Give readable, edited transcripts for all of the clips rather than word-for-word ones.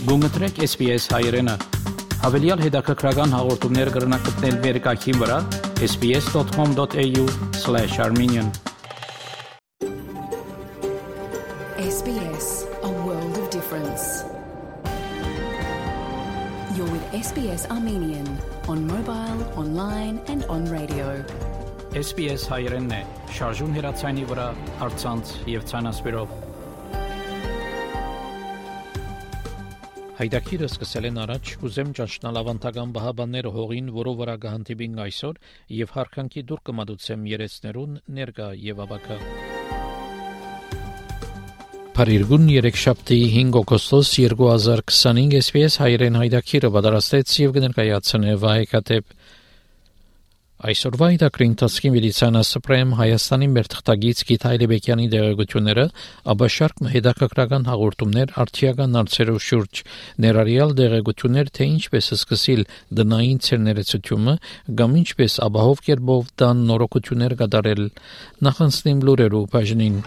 Գումտրեք SPS հայրենը։ Հավելյալ հետաքրքրական հաղորդումներ կգրնակցնել վերկայքին վրա sbs.com.au/armenian SBS, a world of difference. You're with SBS Armenian on mobile, online and on radio. SBS հայրենն է, շարժուն հեռացայինի վրա, առցանց եւ ցանասպիրով։ Հայդակիրը սկսել են առաջ կուզեմ ճաշնալ ավանդական բահաբանները հողին, որով վրա կհանդիպին այսօր եւ հարկանքի դուր կմատուցեմ երեցներուն ներկա եւ ավակա։ Փարիգուն 3 շաբթի 5 օգոստոս 2025 SPS հայրեն հայդակիրը պատրաստեց եւ կներկայացնե վայեկատեպ Այսօրվա իդակրին տասկին վիլիցանա սպրեմ Հայաստանի մերթղթագից Գիթ Հայլեբեկյանի դեղեցությունները, ապա շարք հետաքրքրական հաղորդումներ արդիական հարցերով շուրջ, ներառյալ դեղեցություններ, թե ինչպես սկսել դնային ցերներեցությունը, կամ ինչպես ապահով կերպով դան նորոգություններ կատարել, նախանցնեմ լուրերով բաժնին։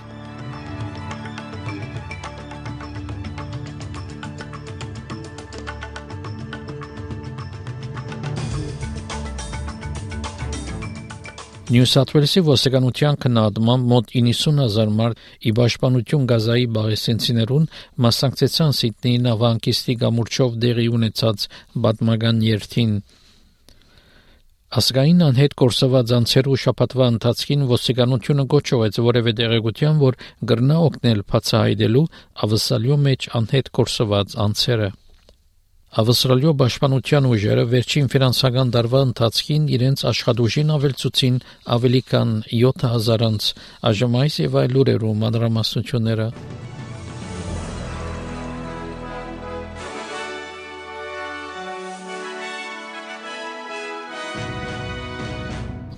Նյու Սաութ Ուելսի ոստիկանության քննադատությամբ մոտ 90,000 մարդ ի պաշտպանություն Գազայի բաղեսենցիներուն մասնակցեցան Սիդնեի նավահանգիստի կամուրջով դեղի ունեցած պատմական երթին։ Ազգային անհետ կորսված անձերու շաբաթվա ընթացքին ոստիկանությունը գոչեց որևէ դեղեցության, որ կրնա օգնել բացահայտելու ավսալյո մեջ անհետ կորսված անձերը։ Ավստրալիո պաշտպանության ուժերը վերջին ֆինանսական տարվա ընթացքին իրենց աշխատուժին ավելցուցին ավելի քան 7,000 անձ, այժմ այս եւ այլ լուրերում մանրամասնությունները։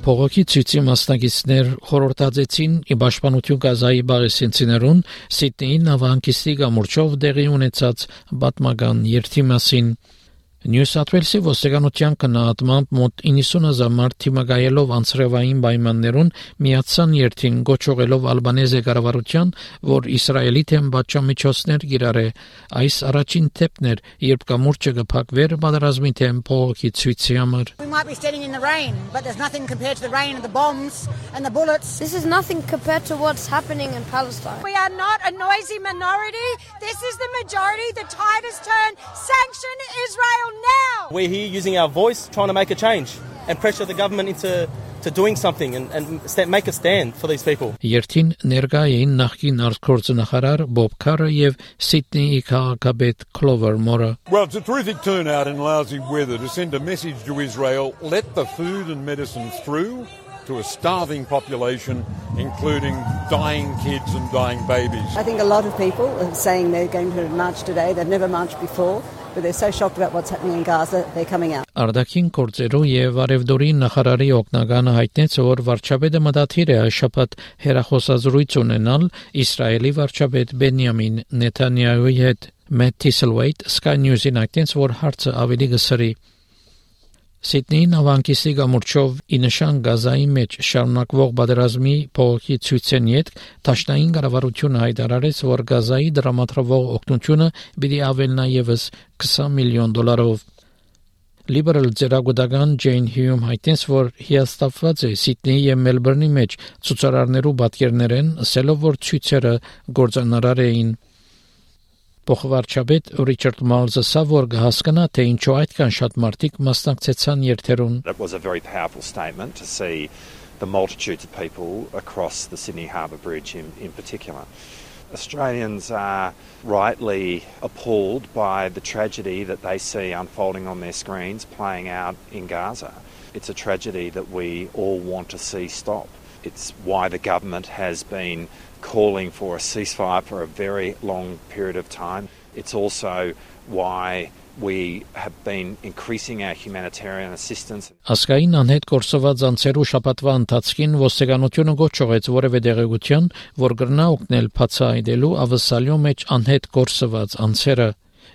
Փողոքի ցույցի մասնակիցներ խորհրդածեցին իբաշխանություն Գազայի բաղեսենցիներուն Սիդնեի նավահանգիստի կամուրջով դեղի ունեցած պատմական երթի մասին։ Նյու Սաութ Ուելսի ոստիկանության քննադատությամբ մոտ 90,000 մարդ թիմակայելով անձրևային պայմաններուն միացան երթին գոչողելով ալբանեզե կառավարության, որ Իսրայելի թեմ պատժամիջոցներ կիրառե։ Այս առաջին թեփն էր, երբ կամուրջը կփակվեր պատերազմի թեմ փողոքի ցույցի համար։ We might be standing in the rain, but there's nothing compared to the rain and the bombs and the bullets. This is nothing compared to what's happening in Palestine. We are not a noisy minority. This is the majority. The tide has turned. Sanction Israel now. We're here using our voice, trying to make a change and pressure the government into doing something and make a stand for these people. Երթին ներկա էին նախկին արտգործնախարար Բոբ Քարը եւ Սիդնեի քաղաքապետ Clover Moore. Well, it's a terrific turnout in lousy weather to send a message to Israel, let the food and medicine through to a starving population, including dying kids and dying babies. I think a lot of people are saying they're going to march today. They've never marched before, but they're so shocked about what's happening in Gaza, they're coming out. Արդակին կորձերու եւ արևդորի նախարարի օգնականը հայտնեց, որ վարչապետը մտադիր է շաբաթ հերախոսազրույց ունենալ Իսրայելի վարչապետ Բենյամին Նեթանյահուի հետ։ Մեթ Թիսլվեյթ Sky News-ին հայտնեց, որ հարցը ավելի գսրի։ Սիդնեի նավահանգիստի կամուրջով ի նշան Գազայի մեջ շարունակվող պատերազմի փողոքի ցույցեն յետ Դաշնային կառավարությունը հայտարարեց, որ Գազայի դրամատրվող օգնությունը պիտի ավելնա եւս $20 միլիոն։ Liberal ձեռագուտական Ջեյն Հյում հայտնեց, որ հիասթափված է Սիդնեի եւ Մելբուրնի մեջ ցուցարարներու պատկերներեն, ասելով, որ ցույցերը գործանարար էին։ Փոխվարչապետ Ռիչարդ Մալզը սավոր կհասկանա, թե ինչու այդքան շատ մարդիկ մասնակցեցան երթերուն։ It was a very powerful statement to see the multitudes of people across the Sydney Harbour Bridge in particular. Australians are rightly appalled by the tragedy that they see unfolding on their screens playing out in Gaza. It's a tragedy that we all want to see stop. It's why the government has been calling for a ceasefire for a very long period of time. It's also why we have been increasing our humanitarian assistance. Ազգային անհետ կորսված անձերու շաբաթվա ընթացքին ոստիկանությունը գոչեց որևէ դեղեցության, որ կրնա օգնել բացահայտելու ավսալյո մեջ անհետ կորսված անձերը։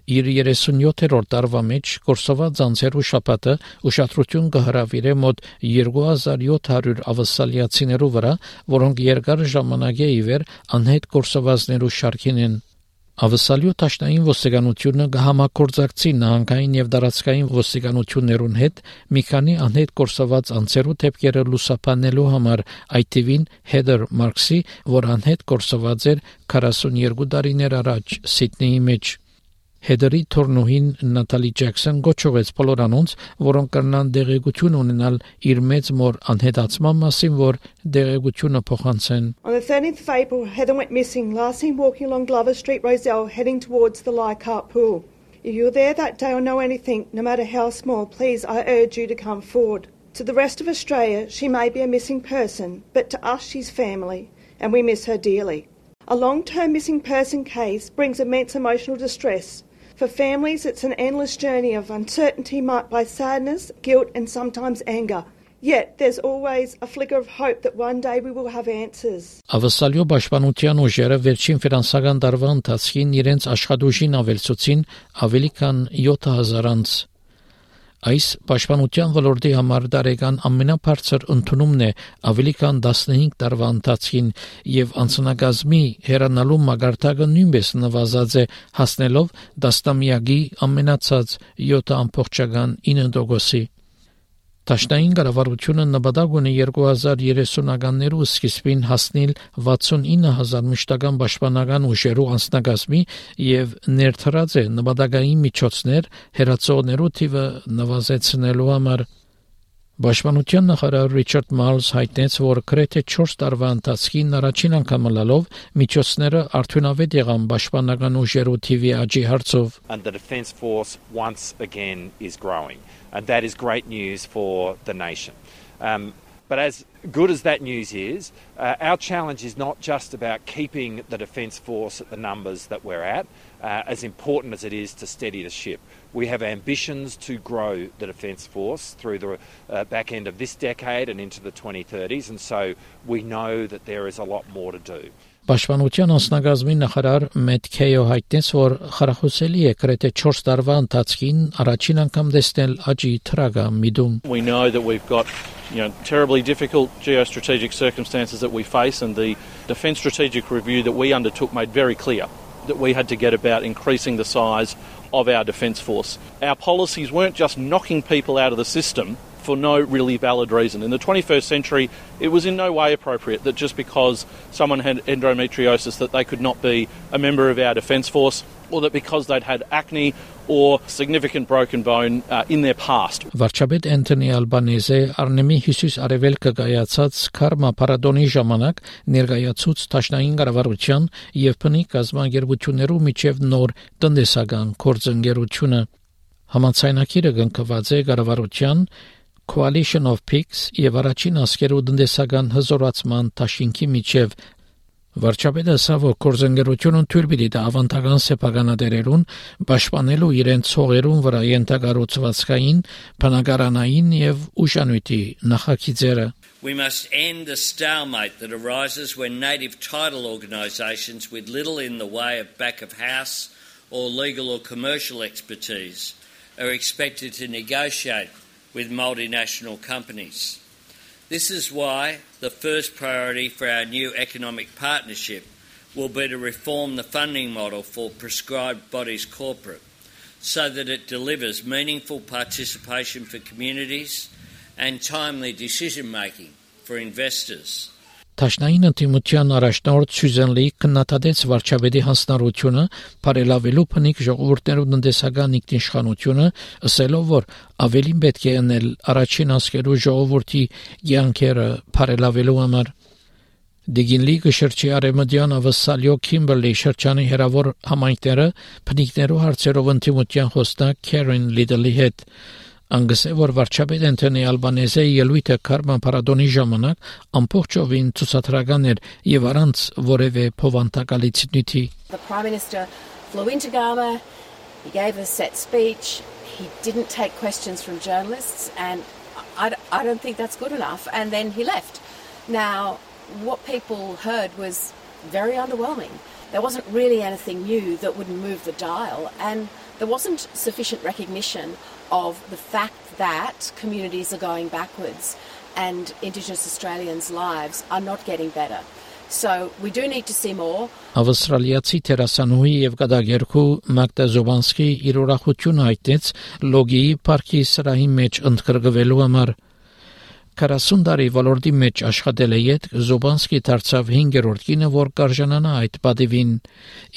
Իր 37-րդ տարվա մեջ կորսված անձերու շաբաթը ուշադրություն կհրավիրե մոտ 2700 ավսալիացիներու վրա, որոնք երկար ժամանակ է իվեր անհետ կորսվածներու շարքին են։ Ավսալյո տաշնային ոստիկանությունը կհամագործակցի նահանգային եւ դարածքային ոստիկանություններուն հետ մի քանի անհետ կորսված անձերու դեպքերը լուսաբանելու համար, այդ թվին Heather Marks-ի, որ անհետ կորսված էր 42 տարիներ առաջ Սիդնեի մեջ։ Heather-ի թորնուհին Նատալի Ջեքսոն գոչեց բոլոր անոնց, որոնք կրնան դեղեցություն ունենալ իր մեծ մոր անհետացման մասին, որ դեղեցությունը փոխանցեն։ On the 13th of April, Heather went missing, last seen walking along Glover Street, Rozelle, heading towards the Leichhardt Pool. If you're there that day or know anything, no matter how small, please, I urge you to come forward. To the rest of Australia, she may be a missing person, but to us, she's family, and we miss her dearly. A long-term missing person case brings immense emotional distress. For families, it's an endless journey of uncertainty marked by sadness, guilt, and sometimes anger. Yet there's always a flicker of hope that one day we will have answers. Ավսալյո պաշտպանության ուժերը վերջին ֆինանսական տարվա ընթացքին իրենց աշխատուժին ավելցուցին ավելի քան 7000 անձ։ Այս պաշտպանության ոլորտի համար դարեկան ամենաբարձր ընդունումն է ավելի քան 15 տարվա ընթացքին եւ անձնակազմի հերանալու մագարտակը նույնպես նվազած է հասնելով դաստամյակի ամենացած 7.9%-ի։ Տաշնային կառավարությունը նպատակ ունի 2030-ականներու սկիզբին հասնել 69000 մշտական պաշտպանական ուժերու անձնակազմի եւ ներդրած է նպատակային միջոցներ հերացողներու թիվը նվազեցնելու համար։ Պաշտպանության նախարար Ռիչարդ Մալզ հայտնեց, որ գրեթե 4 տարվա ընթացքին առաջին անգամ լալով միջոցները արդյունավետ եղան պաշտպանական ուժերու թիվի աճի հարցով։ And the Defence Force once again is growing. And that is great news for the nation. But as good as that news is, our challenge is not just about keeping the Defence Force at the numbers that we're at, as important as it is to steady the ship. We have ambitions to grow the Defence Force through the back end of this decade and into the 2030s, and so we know that there is a lot more to do. Պաշտպանության անձնակազմի նախարար Մեթ Քեյո հայտնեց, որ խրախուսելի է գրեթե 4 տարվա ընթացքին առաջին անգամ տեսնել աճի թրագա միտում։ We know that we've got, terribly difficult geostrategic circumstances that we face, and the Defence Strategic Review that we undertook made very clear that we had to get about increasing the size of our Defence Force. Our policies weren't just knocking people out of the system for no really valid reason. In the 21st century, it was in no way appropriate that just because someone had endometriosis that they could not be a member of our Defence Force, or that because they'd had acne or significant broken bone in their past. Վարչապետ Անթոնի Ալբանեզը Արնեմի Հիսուս Արևելքը կայացած Քարմա Պարադոնի ժամանակ ներկայացուց Տաշնային կառավարության եւ բնի կազմակերպություններու միջև նոր տնտեսական գործընկերությունը։ Համաձայնագիրը կնքված է կառավարության Coalition of Peaks եւ առաջին ասկերու տնտեսական հզորացման դաշինքի միջև։ Վարչապետը ասավ, գործընկերությունը թույլ պիտի տա ավանդական սեփականատերերուն պաշտպանելու իրենց ցողերուն վրա ենթակառուցվածքային, բնակարանային եւ ուշանույթի նախագիծերը։ We must end the stalemate that arises when native title organisations with little in the way of back of house or legal or commercial expertise are expected to negotiate with multinational companies. This is why the first priority for our new economic partnership will be to reform the funding model for prescribed bodies corporate so that it delivers meaningful participation for communities and timely decision making for investors. Տաշնային ընտիմության առաջնորդ Սյուզեն Լի քննադատեց վարչապետի հանձնառությունը բարելավելու բնիկ ժողովուրդներու տնտեսական ինքնիշխանությունը, ասելով, որ ավելին պետք է անել առաջին ասկերու ժողովրդի յանքերը բարելավելու համար։ Դիգինլի գշրջի արեմդյան ավսալյո Քիմբերլի շրջանի հերավոր համայնքները բնիկներու հարցերով ընտիմության խոսնակ Քերեն Լիդլի հետ Անգսե որ վարչապետ Անթոնի Ալբանեզը ելույթը Քարմա Պարադոնի ժամանակ ամբողջովին ցուցադրական էր եւ առանց որևէ փոխանցակալիցնույթի։ The Prime Minister flew into Garma, he gave a set speech, he didn't take questions from journalists, and I don't think that's good enough, and then he left. Now, what people heard was very underwhelming. There wasn't really anything new that would move the dial, and there wasn't sufficient recognition of the fact that communities are going backwards and Indigenous Australians' lives are not getting better. So we do need to see more. Ավստրալիացի տերասանուհի եւ գդագերքու Մագդա Զոբանսկի իր ուրախությունը հայտնեց լոգիի парքի սրահի մեջ ընդգրկվելու համար 40 տարի ոլորտի մեջ աշխատել է յետ Զոբանսկի դարձավ 5-րդ կինը, որ կարժանանա այդ պատիվին։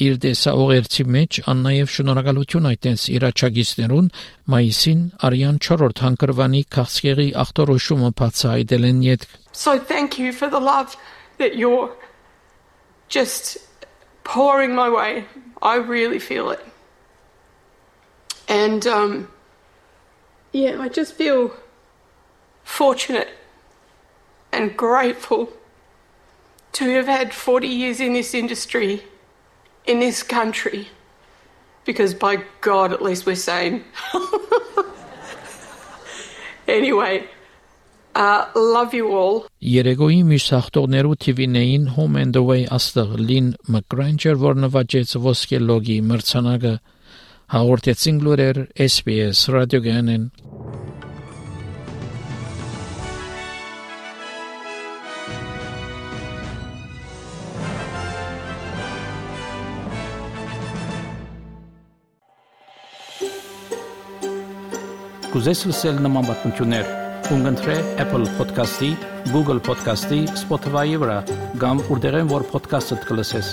Իր դեսաուղերձի մեջ աննաև շնորհակալություն հայտնեց իր աջակիցներուն մայիսին Արիան 4-րդ հանգրվանի քաղցկեղի ախտորոշումը բացահայտել են յետ։ So thank you for the love that you're just pouring my way. I really feel it. And I just feel fortunate and grateful to have had 40 years in this industry, in this country, because by God, at least we're sane. Anyway, love you all. Երեգոյի մյուս հաղթողներու TV-ներին Home and Away աստղ Լին Մակգրանջեր, որ նվաճեց ոսկե լոգի մրցանակը, հաղորդեցին լուրեր SBS ռադիոգանեն։ Կուզես լսել նման բանություններ, կընտրե Apple Podcast-ի, Google Podcast-ի, Spotify-ի վրա, կամ որտեղեն որ podcast-ը կլսես։